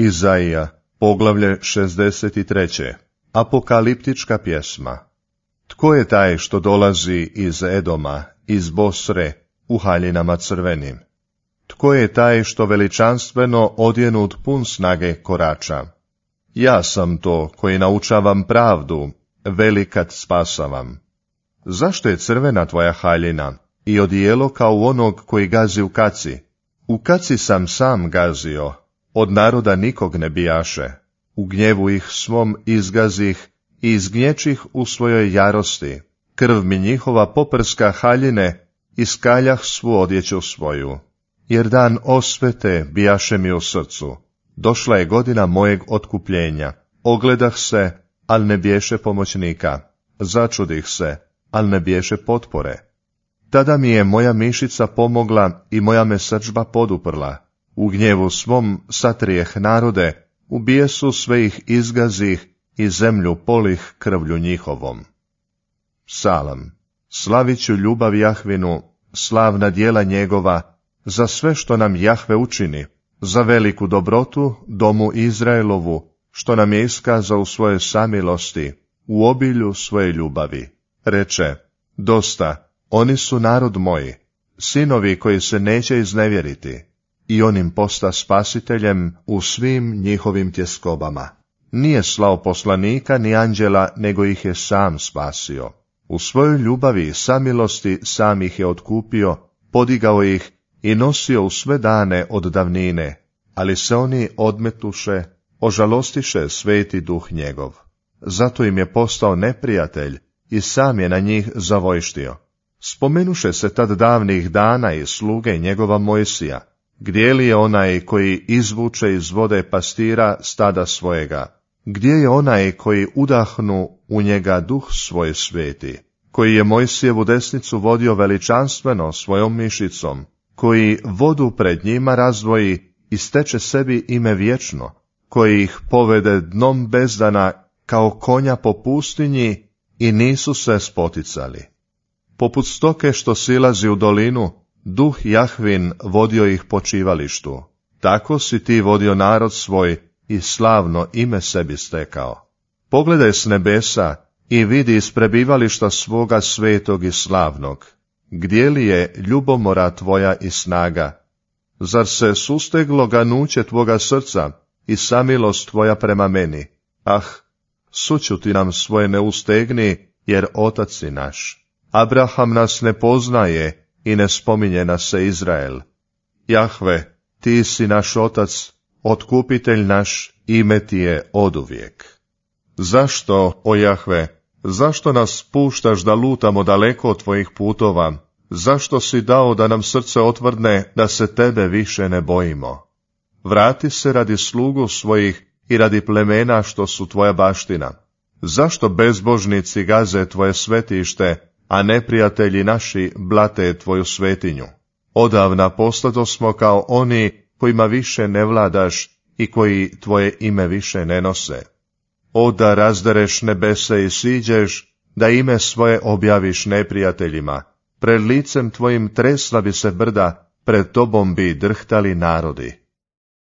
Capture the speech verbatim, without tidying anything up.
Izaija, poglavlje šezdeset tri. Apokaliptička pjesma. Tko je taj što dolazi iz Edoma, iz Bosre, u haljinama crvenim? Tko je taj što veličanstveno odjenut pun snage korača? Ja sam to koji naučavam pravdu, velikat spasavam. Zašto je crvena tvoja haljina i odijelo kao u onog koji gazi u kaci? U kaci sam sam gazio, od naroda nikog ne bijaše. U gnjevu ih svom izgazih i izgnječih u svojoj jarosti. Krv mi njihova poprska haljine i skaljah svu odjeću svoju. Jer dan osvete bijaše mi u srcu. Došla je godina mojeg otkupljenja. Ogledah se, al ne biješe pomoćnika. Začudih se, al ne biješe potpore. Tada mi je moja mišica pomogla i moja me srdžba poduprla. U gnjevu svom satrijeh narode, u bijesu sve ih izgazih i zemlju polih krvlju njihovom. Psalam. Slavit ću ljubav Jahvinu, slavna djela njegova, za sve što nam Jahve učini, za veliku dobrotu domu Izraelovu, što nam je iskazao u svojoj samilosti, u obilju svoje ljubavi. Reče, dosta, oni su narod moji, sinovi koji se neće iznevjeriti, i on im posta spasiteljem u svim njihovim tjeskobama. Nije slao poslanika ni anđela, nego ih je sam spasio. U svojoj ljubavi i samilosti sam ih je otkupio, podigao ih i nosio u sve dane od davnine, ali se oni odmetuše, ožalostiše sveti duh njegov. Zato im je postao neprijatelj i sam je na njih zavojštio. Spomenuše se tad davnih dana i sluge njegova Mojsija, gdje li je onaj koji izvuče iz vode pastira stada svojega? Gdje je onaj koji udahnu u njega duh svoj sveti, koji je Mojsijevu desnicu vodio veličanstveno svojom mišicom, koji vodu pred njima razdvoji i steče sebi ime vječno, koji ih povede dnom bezdana kao konja po pustinji i nisu se spoticali. Poput stoke što silazi u dolinu, duh Jahvin vodio ih po čivalištu. Tako si ti vodio narod svoj i slavno ime sebi stekao. Pogledaj s nebesa i vidi iz prebivališta svoga svetog i slavnog. Gdje li je ljubomora tvoja i snaga? Zar se susteglo ganuće tvoga srca i samilost tvoja prema meni? Ah, sućuti nam svoje ne ustegni, jer otac si naš. Abraham nas ne poznaje i ne spominje nas se Izrael. Jahve, ti si naš otac, otkupitelj naš, ime ti je oduvijek. Zašto, o Jahve, zašto nas puštaš da lutamo daleko od tvojih putova? Zašto si dao da nam srce otvrdne, da se tebe više ne bojimo? Vrati se radi slugu svojih i radi plemena što su tvoja baština. Zašto bezbožnici gaze tvoje svetište, a neprijatelji naši blate tvoju svetinju? Odavna postado smo kao oni kojima više ne vladaš i koji tvoje ime više ne nose. O da razdereš nebese i siđeš, da ime svoje objaviš neprijateljima, pred licem tvojim tresla bi se brda, pred tobom bi drhtali narodi.